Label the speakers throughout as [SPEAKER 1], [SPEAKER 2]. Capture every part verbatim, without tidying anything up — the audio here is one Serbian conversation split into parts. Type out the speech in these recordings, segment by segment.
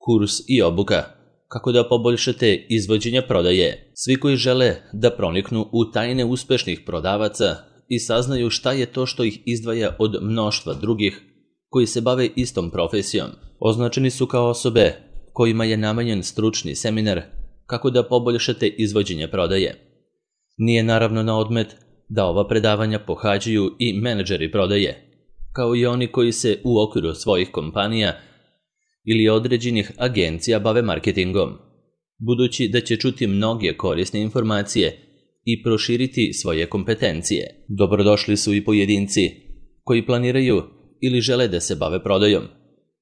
[SPEAKER 1] kurs i obuka. Kako da poboljšate izvođenje prodaje? Svi koji žele da proniknu u tajne uspešnih prodavaca i saznaju šta je to što ih izdvaja od mnoštva drugih koji se bave istom profesijom, označeni su kao osobe kojima je namenjen stručni seminar kako da poboljšate izvođenje prodaje. Nije naravno na odmet da ova predavanja pohađaju i menadžeri prodaje, kao i oni koji se u okviru svojih kompanija ili određenih agencija bave marketingom, budući da će čuti mnoge korisne informacije i proširiti svoje kompetencije. Dobrodošli su i pojedinci koji planiraju ili žele da se bave prodajom,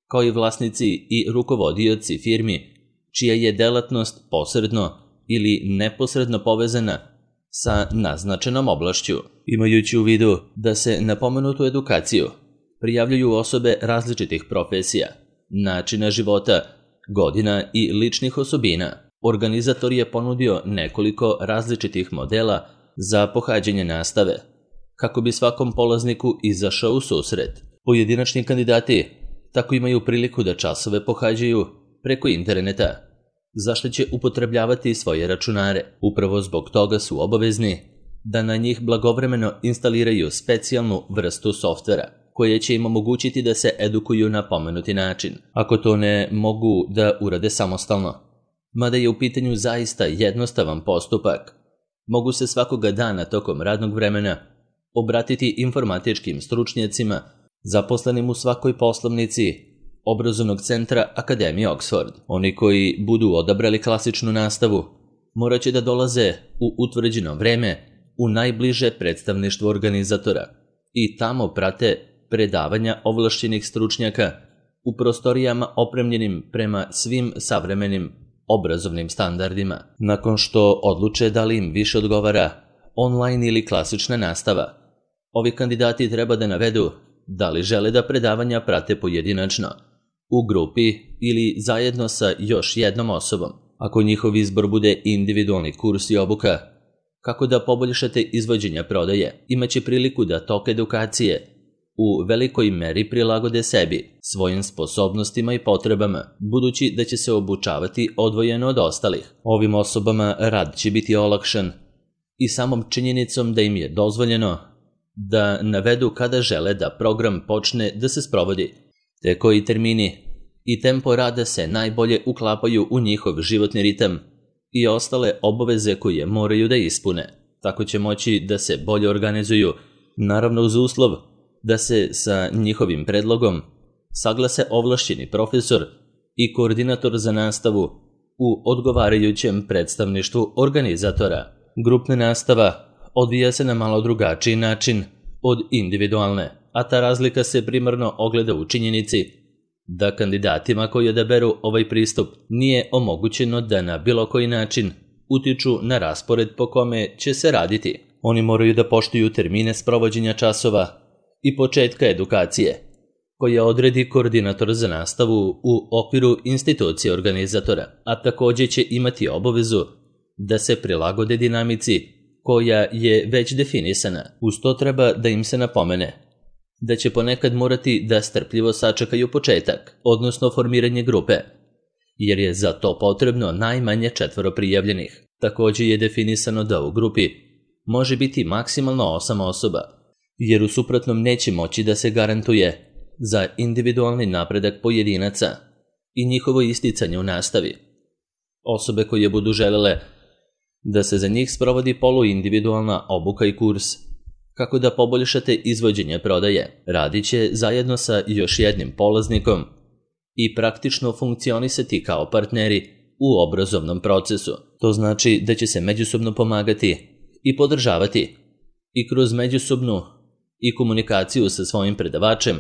[SPEAKER 1] kao i vlasnici i rukovodioci firmi čija je delatnost posredno ili neposredno povezana sa naznačenom oblašću. Imajući u vidu da se na pomenutu edukaciju prijavljuju osobe različitih profesija, načina života, godina i ličnih osobina, organizator je ponudio nekoliko različitih modela za pohađanje nastave, kako bi svakom polazniku izašao u susret. Pojedinačni kandidati tako imaju priliku da časove pohađaju preko interneta, zašto će upotrebljavati svoje računare. Upravo zbog toga su obavezni da na njih blagovremeno instaliraju specijalnu vrstu softvera, koje će im omogućiti da se edukuju na pomenuti način, ako to ne mogu da urade samostalno. Mada je u pitanju zaista jednostavan postupak, mogu se svakoga dana tokom radnog vremena obratiti informatičkim stručnjacima zaposlenim u svakoj poslovnici obrazovnog centra Akademije Oxford. Oni koji budu odabrali klasičnu nastavu morat će da dolaze u utvrđeno vreme u najbliže predstavništvo organizatora i tamo prate predavanja ovlašćenih stručnjaka u prostorijama opremljenim prema svim savremenim obrazovnim standardima. Nakon što odluče da li im više odgovara online ili klasična nastava, ovi kandidati treba da navedu da li žele da predavanja prate pojedinačno, u grupi ili zajedno sa još jednom osobom. Ako njihov izbor bude individualni kurs i obuka, kako da poboljšate izvođenje prodaje, imaće priliku da tok edukacije u velikoj meri prilagode sebi, svojim sposobnostima i potrebama, budući da će se obučavati odvojeno od ostalih. Ovim osobama rad će biti olakšan i samom činjenicom da im je dozvoljeno da navedu kada žele da program počne da se sprovodi, te koji termini i tempo rada se najbolje uklapaju u njihov životni ritam i ostale obaveze koje moraju da ispune. Tako će moći da se bolje organizuju, naravno uz uslov da se sa njihovim predlogom saglase ovlašćeni profesor i koordinator za nastavu u odgovarajućem predstavništvu organizatora. Grupna nastava odvija se na malo drugačiji način od individualne, a ta razlika se primarno ogleda u činjenici da kandidatima koji odaberu ovaj pristup nije omogućeno da na bilo koji način utiču na raspored po kome će se raditi. Oni moraju da poštuju termine sprovođenja časova i početka edukacije, koja odredi koordinator za nastavu u okviru institucije organizatora, a takođe će imati obavezu da se prilagode dinamici koja je već definisana. Uz to treba da im se napomene da će ponekad morati da strpljivo sačekaju početak, odnosno formiranje grupe, jer je za to potrebno najmanje četvoro prijavljenih. Takođe je definisano da u grupi može biti maksimalno osam osoba, jer u suprotnom neće moći da se garantuje za individualni napredak pojedinaca i njihovo isticanje u nastavi. Osobe koje budu želele da se za njih sprovodi poluindividualna obuka i kurs, kako da poboljšate izvođenje prodaje, radit će zajedno sa još jednim polaznikom i praktično funkcionisati kao partneri u obrazovnom procesu. To znači da će se međusobno pomagati i podržavati i kroz međusobnu i komunikaciju sa svojim predavačem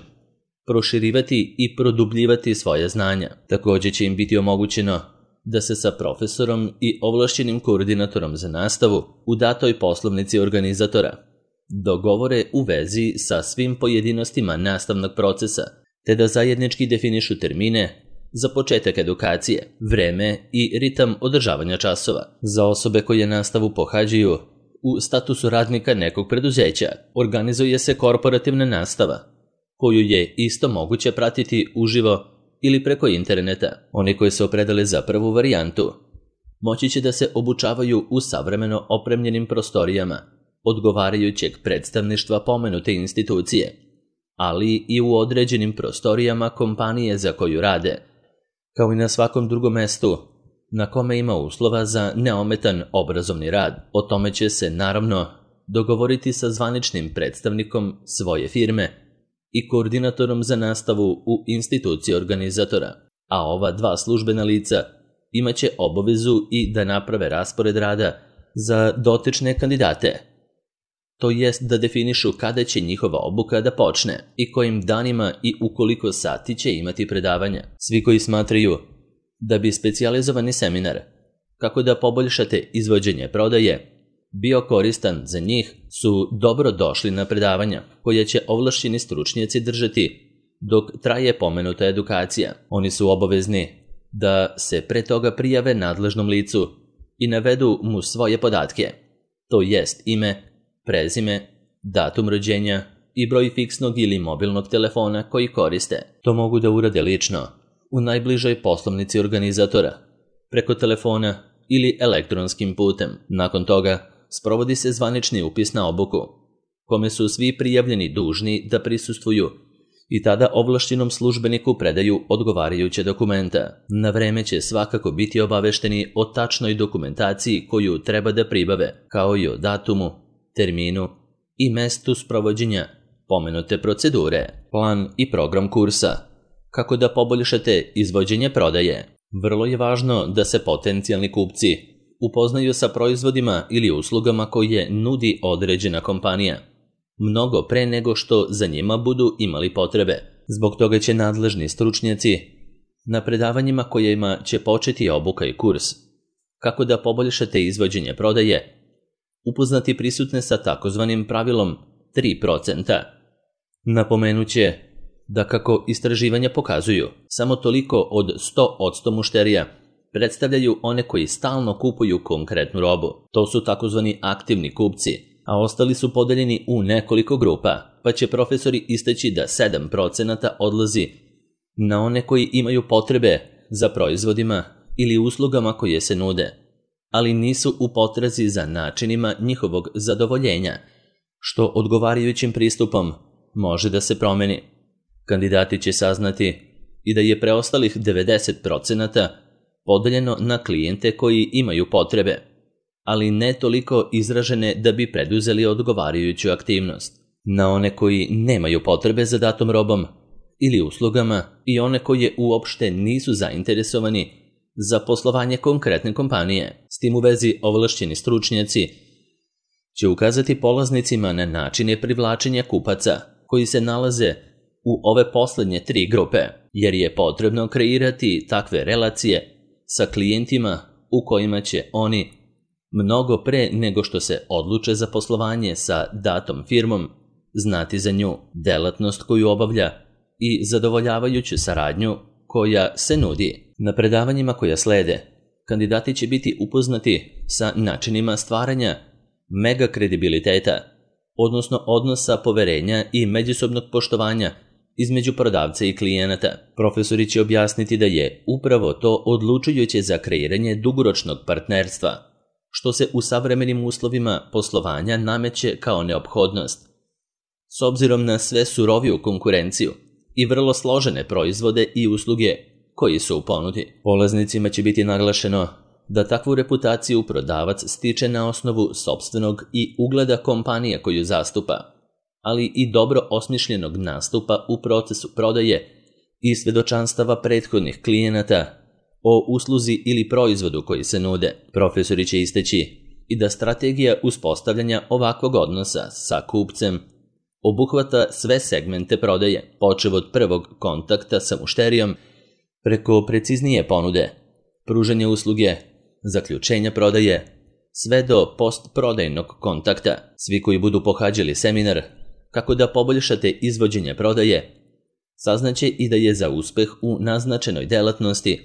[SPEAKER 1] proširivati i produbljivati svoje znanja. Takođe će im biti omogućeno da se sa profesorom i ovlašćenim koordinatorom za nastavu u datoj poslovnici organizatora dogovore u vezi sa svim pojedinostima nastavnog procesa, te da zajednički definišu termine za početak edukacije, vreme i ritam održavanja časova. Za osobe koje nastavu pohađaju u statusu radnika nekog preduzeća, organizuje se korporativna nastava, koju je isto moguće pratiti uživo ili preko interneta. Oni koji se opredele za prvu varijantu moći će da se obučavaju u savremeno opremljenim prostorijama odgovarajućeg predstavništva pomenute institucije, ali i u određenim prostorijama kompanije za koju rade, kao i na svakom drugom mestu na kome ima uslova za neometan obrazovni rad. O tome će se, naravno, dogovoriti sa zvaničnim predstavnikom svoje firme i koordinatorom za nastavu u instituciji organizatora, a ova dva službena lica imaće obavezu i da naprave raspored rada za dotične kandidate, to jest da definišu kada će njihova obuka da počne i kojim danima i u koliko sati će imati predavanja. Svi koji smatraju da bi specijalizovani seminar kako da poboljšate izvođenje prodaje bio koristan za njih su dobro došli na predavanja koje će ovlašćeni stručnjaci držati dok traje pomenuta edukacija. Oni su obavezni da se pre toga prijave nadležnom licu i navedu mu svoje podatke, to jest ime, prezime, datum rođenja i broj fiksnog ili mobilnog telefona koji koriste. To mogu da urade lično u najbližoj poslovnici organizatora, preko telefona ili elektronskim putem. Nakon toga sprovodi se zvanični upis na obuku, kome su svi prijavljeni dužni da prisustvuju i tada ovlašćenom službeniku predaju odgovarajuće dokumenta. Na vreme će svakako biti obavešteni o tačnoj dokumentaciji koju treba da pribave, kao i o datumu, terminu i mestu sprovođenja pomenute procedure. Plan i program kursa. Kako da poboljšate izvođenje prodaje? Vrlo je važno da se potencijalni kupci upoznaju sa proizvodima ili uslugama koje nudi određena kompanija, mnogo pre nego što za njima budu imali potrebe. Zbog toga će nadležni stručnjaci na predavanjima kojima će početi obuka i kurs kako da poboljšate izvođenje prodaje upoznati prisutne sa takozvanim pravilom tri procenta. Napomenuće da kako istraživanja pokazuju, samo toliko od sto posto mušterija predstavljaju one koji stalno kupuju konkretnu robu. To su takozvani aktivni kupci, a ostali su podeljeni u nekoliko grupa, pa će profesori istaći da sedam procenta odlazi na one koji imaju potrebe za proizvodima ili uslugama koje se nude, ali nisu u potrazi za načinima njihovog zadovoljenja, što odgovarajućim pristupom može da se promeni. Kandidati će saznati i da je preostalih devedeset procenta podeljeno na klijente koji imaju potrebe, ali ne toliko izražene da bi preduzeli odgovarajuću aktivnost, na one koji nemaju potrebe za datom robom ili uslugama i one koje uopšte nisu zainteresovani za poslovanje konkretne kompanije. S tim u vezi ovlašćeni stručnjaci će ukazati polaznicima na načine privlačenja kupaca koji se nalaze u ove poslednje tri grupe, jer je potrebno kreirati takve relacije sa klijentima u kojima će oni mnogo pre nego što se odluče za poslovanje sa datom firmom znati za nju, delatnost koju obavlja i zadovoljavajuću saradnju koja se nudi. Na predavanjima koja slede, kandidati će biti upoznati sa načinima stvaranja mega kredibiliteta, odnosno odnosa poverenja i međusobnog poštovanja između prodavca i klijenata. Profesori će objasniti da je upravo to odlučujuće za kreiranje dugoročnog partnerstva, što se u savremenim uslovima poslovanja nameće kao neophodnost, s obzirom na sve suroviju konkurenciju i vrlo složene proizvode i usluge koji su u ponudi. Polaznicima će biti naglašeno da takvu reputaciju prodavac stiče na osnovu sopstvenog i ugleda kompanije koju zastupa, ali i dobro osmišljenog nastupa u procesu prodaje i svedočanstava prethodnih klijenata o usluzi ili proizvodu koji se nude. Profesori će isteći i da strategija uspostavljanja ovakvog odnosa sa kupcem obuhvata sve segmente prodaje, počev od prvog kontakta sa mušterijom, preko preciznije ponude, pružanja usluge, zaključenja prodaje, sve do postprodajnog kontakta. Svi koji budu pohađali seminar kako da poboljšate izvođenje prodaje, saznaće i da je za uspeh u naznačenoj delatnosti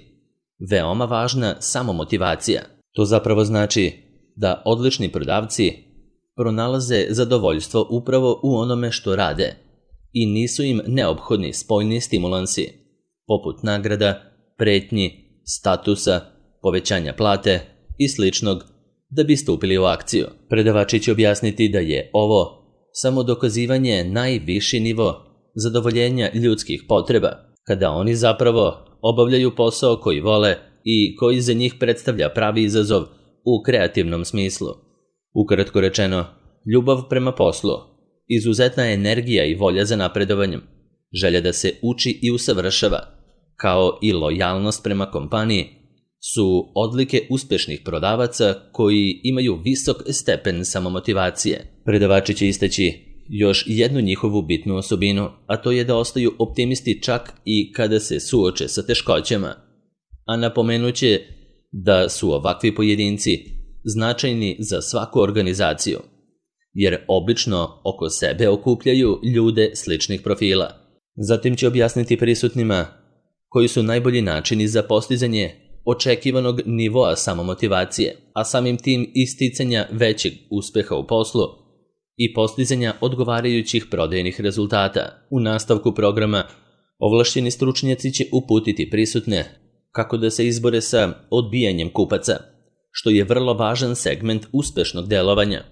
[SPEAKER 1] veoma važna samomotivacija. To zapravo znači da odlični prodavci pronalaze zadovoljstvo upravo u onome što rade i nisu im neophodni spoljni stimulansi, poput nagrada, pretnji, statusa, povećanja plate i sličnog, da bi stupili u akciju. Predavači će objasniti da je ovo samo dokazivanje najviši nivo zadovoljenja ljudskih potreba, kada oni zapravo obavljaju posao koji vole i koji za njih predstavlja pravi izazov u kreativnom smislu. Ukratko rečeno, ljubav prema poslu, izuzetna energija i volja za napredovanjem, želja da se uči i usavršava, kao i lojalnost prema kompaniji, su odlike uspešnih prodavaca koji imaju visok stepen samomotivacije. Predavači će istaći još jednu njihovu bitnu osobinu, a to je da ostaju optimisti čak i kada se suoče sa teškoćama. A napomenuće da su ovakvi pojedinci značajni za svaku organizaciju, jer obično oko sebe okupljaju ljude sličnih profila. Zatim će objasniti prisutnima koji su najbolji načini za postizanje očekivanog nivoa samomotivacije, a samim tim isticanja većeg uspeha u poslu i postizanja odgovarajućih prodajnih rezultata. U nastavku programa ovlašćeni stručnjaci će uputiti prisutne kako da se izbore sa odbijanjem kupaca, što je vrlo važan segment uspešnog delovanja.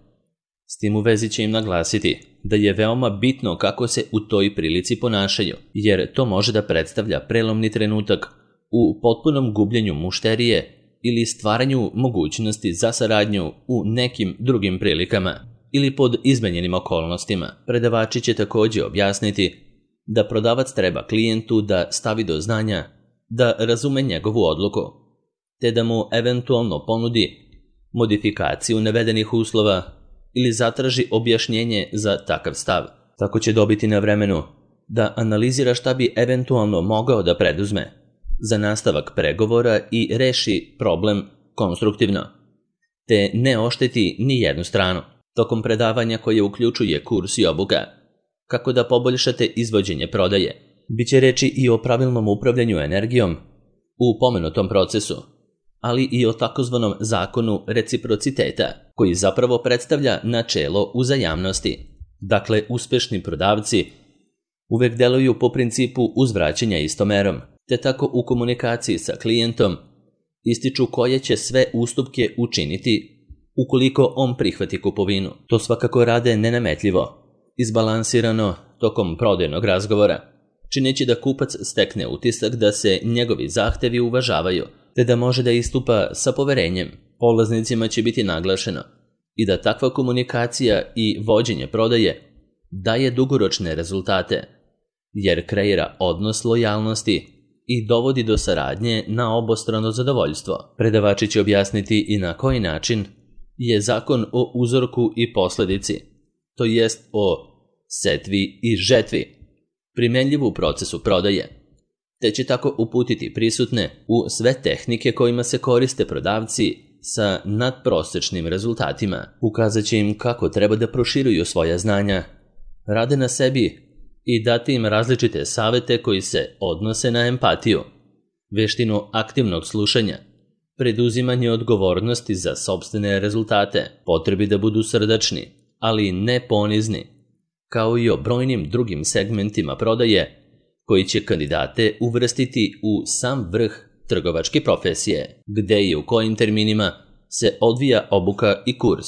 [SPEAKER 1] S tim u vezi će im naglasiti da je veoma bitno kako se u toj prilici ponašaju, jer to može da predstavlja prelomni trenutak u potpunom gubljenju mušterije ili stvaranju mogućnosti za saradnju u nekim drugim prilikama ili pod izmenjenim okolnostima. Predavači će također objasniti da prodavac treba klijentu da stavi do znanja da razume njegovu odluku, te da mu eventualno ponudi modifikaciju navedenih uslova ili zatraži objašnjenje za takav stav. Tako će dobiti na vremenu da analizira šta bi eventualno mogao da preduzme za nastavak pregovora i reši problem konstruktivno, te ne ošteti ni jednu stranu. Tokom predavanja koje uključuje kurs i obuka kako da poboljšate izvođenje prodaje, biće reči i o pravilnom upravljanju energijom u pomenutom procesu, ali i o takozvanom zakonu reciprociteta, koji zapravo predstavlja načelo uzajamnosti. Dakle, uspešni prodavci uvek deluju po principu uzvraćanja istomerom, te tako u komunikaciji sa klijentom ističu koje će sve ustupke učiniti ukoliko on prihvati kupovinu. To svakako rade nenametljivo, izbalansirano tokom prodajnog razgovora, čineći da kupac stekne utisak da se njegovi zahtevi uvažavaju, te da može da istupa sa poverenjem. Polaznicima će biti naglašeno i da takva komunikacija i vođenje prodaje daje dugoročne rezultate, jer kreira odnos lojalnosti i dovodi do saradnje na obostrano zadovoljstvo. Predavači će objasniti i na koji način je zakon o uzorku i posledici, to jest o setvi i žetvi, primenljiv u procesu prodaje, te će tako uputiti prisutne u sve tehnike kojima se koriste prodavci sa nadprosečnim rezultatima. Ukazat će im kako treba da proširuju svoja znanja, rade na sebi i dati im različite savete koji se odnose na empatiju, veštinu aktivnog slušanja, preduzimanje odgovornosti za sopstvene rezultate, potrebi da budu srdačni, ali ne ponizni, kao i o brojnim drugim segmentima prodaje koji će kandidate uvrstiti u sam vrh trgovačke profesije, gde i u kojim terminima se odvija obuka i kurs,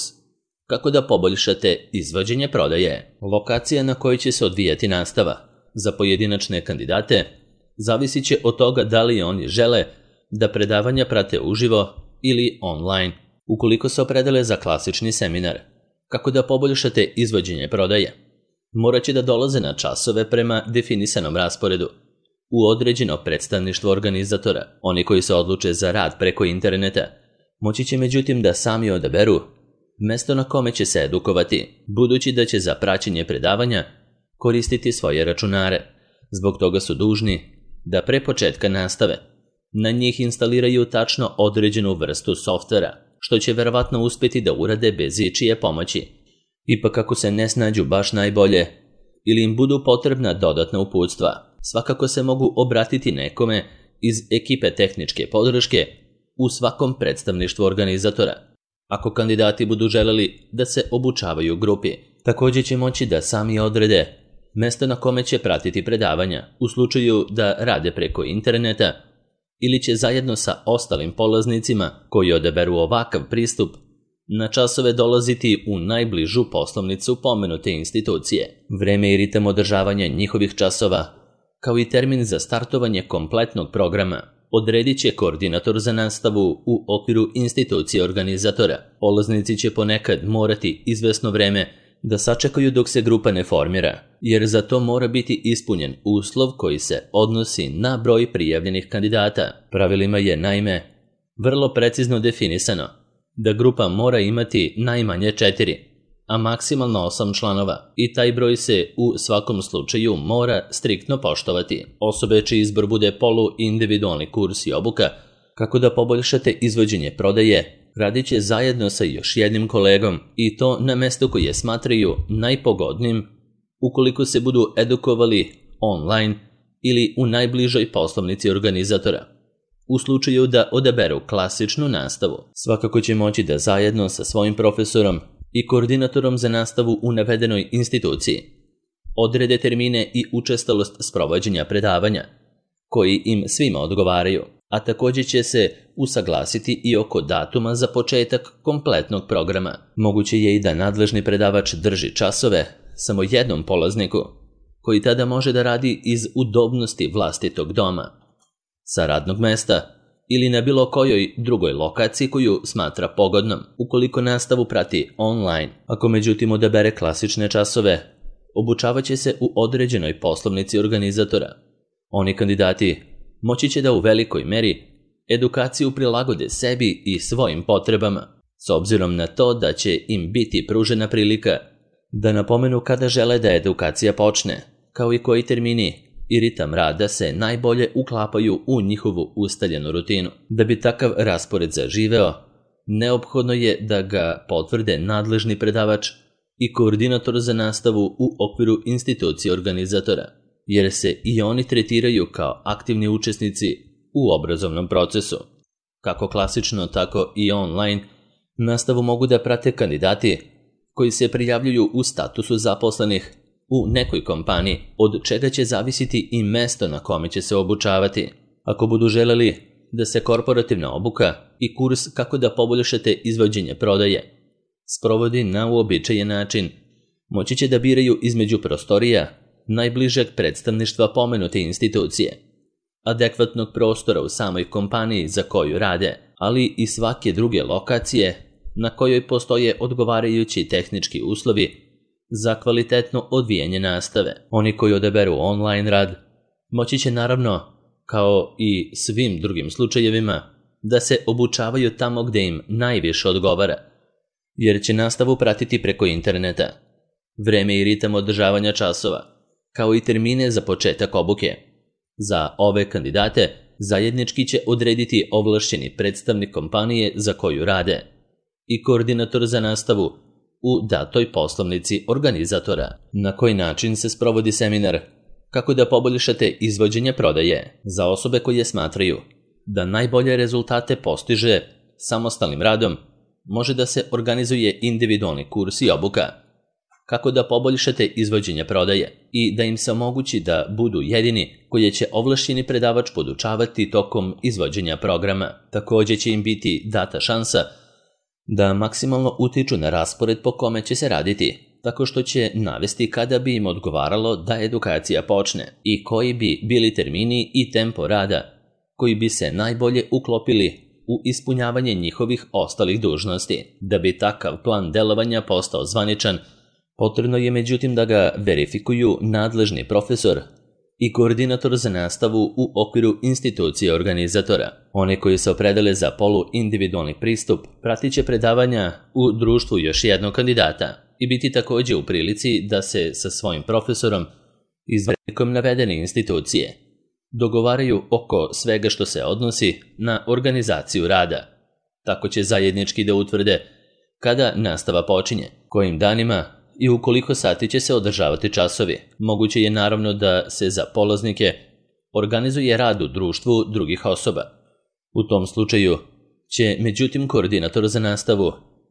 [SPEAKER 1] kako da poboljšate izvođenje prodaje. Lokacija na kojoj će se odvijati nastava za pojedinačne kandidate zavisit će od toga da li oni žele da predavanja prate uživo ili online. Ukoliko se opredele za klasični seminar, kako da poboljšate izvođenje prodaje, morat će da dolaze na časove prema definisanom rasporedu u određeno predstavništvo organizatora. Oni koji se odluče za rad preko interneta moći će međutim da sami odaberu mesto na kome će se edukovati, budući da će za praćenje predavanja koristiti svoje računare. Zbog toga su dužni da pre početka nastave na njih instaliraju tačno određenu vrstu softvera, što će verovatno uspjeti da urade bez ičije pomoći. Ipak ako se ne snađu baš najbolje ili im budu potrebna dodatna uputstva, svakako se mogu obratiti nekome iz ekipe tehničke podrške u svakom predstavništvu organizatora. Ako kandidati budu želeli da se obučavaju u grupi, također će moći da sami odrede mesto na kome će pratiti predavanja u slučaju da rade preko interneta ili će zajedno sa ostalim polaznicima koji odaberu ovakav pristup na časove dolaziti u najbližu poslovnicu pomenute institucije. Vreme i ritam održavanja njihovih časova, kao i termin za startovanje kompletnog programa, odredit će koordinator za nastavu u okviru institucije organizatora. Polaznici će ponekad morati izvesno vreme da sačekaju dok se grupa ne formira, jer za to mora biti ispunjen uslov koji se odnosi na broj prijavljenih kandidata. Pravilima je, naime, vrlo precizno definisano da grupa mora imati najmanje četiri, a maksimalno osam članova i taj broj se u svakom slučaju mora striktno poštovati. Osobe čiji izbor bude polu-individualni kurs i obuka kako da poboljšate izvođenje prodaje, radit će zajedno sa još jednim kolegom i to na mestu koje smatraju najpogodnim ukoliko se budu edukovali online ili u najbližoj poslovnici organizatora. U slučaju da odaberu klasičnu nastavu, svakako će moći da zajedno sa svojim profesorom i koordinatorom za nastavu u navedenoj instituciji odrede termine i učestalost sprovođenja predavanja, koji im svima odgovaraju, a također će se usaglasiti i oko datuma za početak kompletnog programa. Moguće je i da nadležni predavač drži časove samo jednom polazniku, koji tada može da radi iz udobnosti vlastitog doma, sa radnog mesta ili na bilo kojoj drugoj lokaciji koju smatra pogodnom, ukoliko nastavu prati online. Ako međutim odabere klasične časove, obučavat će se u određenoj poslovnici organizatora. Oni kandidati moći će da u velikoj meri edukaciju prilagode sebi i svojim potrebama, s obzirom na to da će im biti pružena prilika da napomenu kada žele da edukacija počne, kao i koji termini i ritam rada se najbolje uklapaju u njihovu ustaljenu rutinu. Da bi takav raspored zaživeo, neophodno je da ga potvrde nadležni predavač i koordinator za nastavu u okviru institucije organizatora, jer se i oni tretiraju kao aktivni učesnici u obrazovnom procesu. Kako klasično, tako i online nastavu mogu da prate kandidati koji se prijavljuju u statusu zaposlenih u nekoj kompaniji, od čega će zavisiti i mesto na kome će se obučavati. Ako budu želeli da se korporativna obuka i kurs kako da poboljšate izvođenje prodaje sprovodi na uobičajen način, moći će da biraju između prostorija najbližeg predstavništva pomenute institucije, adekvatnog prostora u samoj kompaniji za koju rade, ali i svake druge lokacije na kojoj postoje odgovarajući tehnički uslovi za kvalitetno odvijanje nastave. Oni koji odaberu online rad moći će naravno, kao i svim drugim slučajevima, da se obučavaju tamo gde im najviše odgovara, jer će nastavu pratiti preko interneta. Vreme i ritam održavanja časova, kao i termine za početak obuke, za ove kandidate zajednički će odrediti ovlašćeni predstavnik kompanije za koju rade i koordinator za nastavu u datoj poslovnici organizatora. Na koji način se sprovodi seminar kako da poboljšate izvođenje prodaje za osobe koje smatraju da najbolje rezultate postiže samostalnim radom, može da se organizuje individualni kurs i obuka kako da poboljšate izvođenje prodaje i da im se omogući da budu jedini koje će ovlašćeni predavač podučavati tokom izvođenja programa. Također će im biti data šansa da maksimalno utiču na raspored po kome će se raditi, tako što će navesti kada bi im odgovaralo da edukacija počne i koji bi bili termini i tempo rada koji bi se najbolje uklopili u ispunjavanje njihovih ostalih dužnosti. Da bi takav plan delovanja postao zvaničan, potrebno je međutim da ga verifikuju nadležni profesor i koordinator za nastavu u okviru institucije organizatora. Oni koji se opredele za polu-individualni pristup pratit će predavanja u društvu još jednog kandidata i biti također u prilici da se sa svojim profesorom iz velikom navedene institucije dogovaraju oko svega što se odnosi na organizaciju rada. Tako će zajednički da utvrde kada nastava počinje, kojim danima i u koliko sati će se održavati časovi. Moguće je naravno da se za polaznike organizuje rad u društvu drugih osoba. U tom slučaju će međutim koordinator za nastavu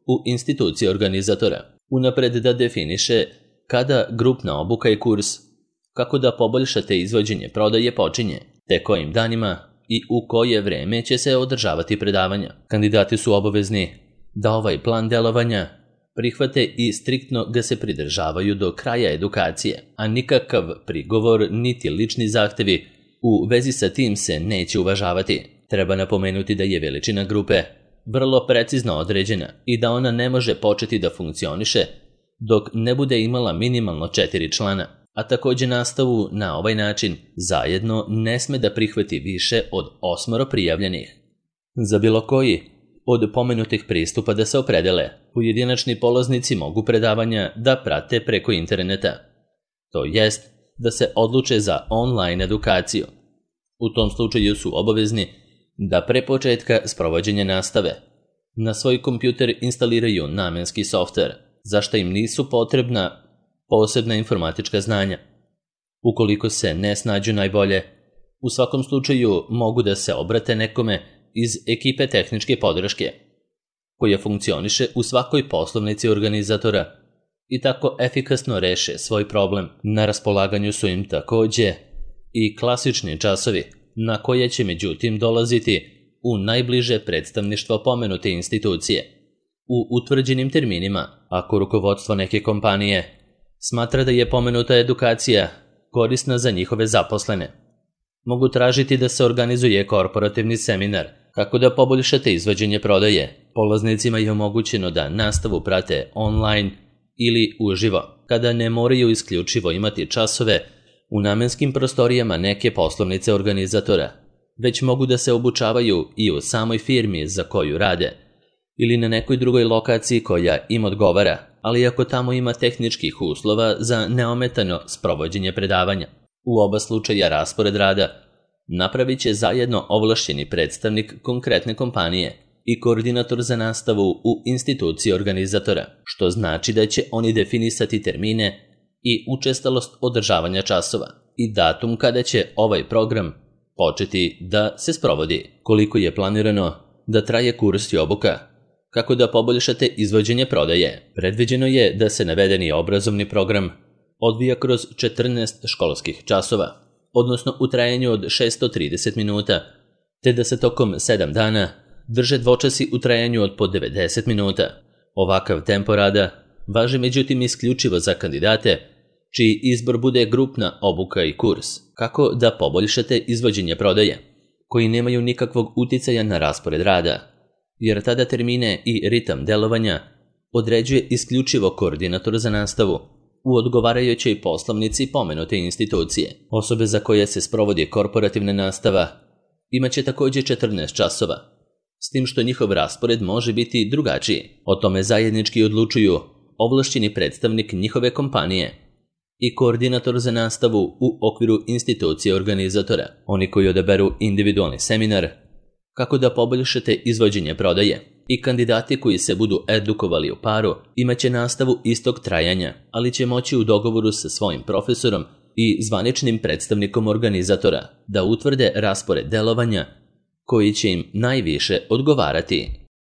[SPEAKER 1] u instituciji organizatora unapred da definiše kada grupna obuka i kurs kako da poboljšate izvođenje prodaje počinje, te kojim danima i u koje vreme će se održavati predavanja. Kandidati su obavezni da ovaj plan delovanja prihvate i striktno ga se pridržavaju do kraja edukacije, a nikakav prigovor niti lični zahtevi u vezi sa tim se neće uvažavati. Treba napomenuti da je veličina grupe vrlo precizno određena i da ona ne može početi da funkcioniše dok ne bude imala minimalno četiri člana, a također nastavu na ovaj način zajedno ne sme da prihvati više od osmoro prijavljenih. Za bilo koji od pomenutih pristupa da se opredele, pojedinačni polaznici mogu predavanja da prate preko interneta, to jest da se odluče za online edukaciju. U tom slučaju su obavezni da pre početka sprovođenja nastave na svoj kompjuter instaliraju namenski softver, za što im nisu potrebna posebna informatička znanja. Ukoliko se ne snađu najbolje, u svakom slučaju mogu da se obrate nekome iz ekipe tehničke podrške, koja funkcioniše u svakoj poslovnici organizatora i tako efikasno reše svoj problem. Na raspolaganju su im također i klasični časovi, na koje će međutim dolaziti u najbliže predstavništvo pomenute institucije, u utvrđenim terminima. Ako rukovodstvo neke kompanije smatra da je pomenuta edukacija korisna za njihove zaposlene, mogu tražiti da se organizuje korporativni seminar kako da poboljšate izvođenje prodaje. Polaznicima je omogućeno da nastavu prate online ili uživo, kada ne moraju isključivo imati časove u namenskim prostorijama neke poslovnice organizatora, već mogu da se obučavaju i u samoj firmi za koju rade ili na nekoj drugoj lokaciji koja im odgovara, ali ako tamo ima tehničkih uslova za neometano sprovođenje predavanja. U oba slučaja raspored rada napravit će zajedno ovlašćeni predstavnik konkretne kompanije i koordinator za nastavu u instituciji organizatora, što znači da će oni definisati termine i učestalost održavanja časova i datum kada će ovaj program početi da se sprovodi. Koliko je planirano da traje kurs i obuka? Kako da poboljšate izvođenje prodaje? Predviđeno je da se navedeni obrazovni program odvija kroz četrnaest školskih časova, odnosno u trajanju od šesto trideset minuta, te da se tokom sedam dana drže dvočasi u trajanju od po devedeset minuta. Ovakav tempo rada važi međutim isključivo za kandidate čiji izbor bude grupna obuka i kurs. Kako da poboljšate izvođenje prodaje, koji nemaju nikakvog uticaja na raspored rada, jer tada termine i ritam delovanja određuje isključivo koordinator za nastavu u odgovarajućoj poslovnici pomenute institucije. Osobe za koje se sprovodi korporativna nastava imaće također četrnaest časova, s tim što njihov raspored može biti drugačiji. O tome zajednički odlučuju ovlašćeni predstavnik njihove kompanije i koordinator za nastavu u okviru institucije organizatora. Oni koji odaberu individualni seminar kako da poboljšate izvođenje prodaje i kandidati koji se budu edukovali u paru imaće nastavu istog trajanja, ali će moći u dogovoru sa svojim profesorom i zvaničnim predstavnikom organizatora da utvrde raspored delovanja koji će im najviše odgovarati.